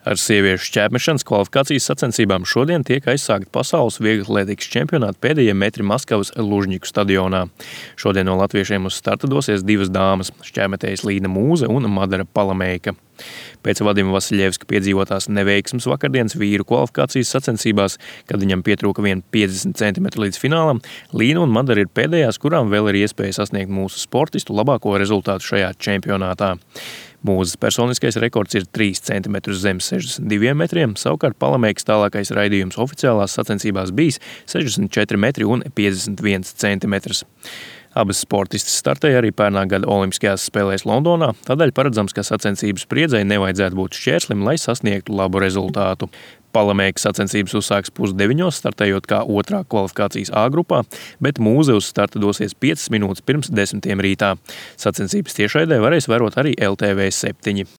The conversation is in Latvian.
Ar sieviešu šķērsmešanas kvalifikācijas sacensībām šodien tiek aizsākta pasaules vieglatlētikas čempionāta pēdējie metri Maskavas Lužņiku stadionā. Šodien no latviešiem uz starta dosies divas dāmas – šķērmetējas Līna Mūze un Madara Palamēka. Pēc Vadima Vasiļevska piedzīvotās neveiksmes vakardienas vīru kvalifikācijas sacensībās, kad viņam pietrūka vien 50 cm līdz finālam, Līna un Madara ir pēdējās, kurām vēl ir iespēja sasniegt mūsu sportistu labāko rezultātu šajā čempionātā. Mūzes personiskais rekords ir 3 cm zem 62 metriem, savukārt Palamēkas tālākais raidījums oficiālās sacensībās bijis 64 metri un 51 cm. Abas sportistas startēja arī pērnā gada Olimpiskajās spēlēs Londonā, tādēļ paredzams, ka sacensību spriedzei nevajadzētu būt šķērslim, lai sasniegtu labu rezultātu. Palamēka sacensības uzsāks 8:30, startējot kā otrā kvalifikācijas A grupā, bet Mūze uz starta dosies 5 minūtes pirms 10 rītā. Sacensības tiešraidē varēs vērot arī LTV 7.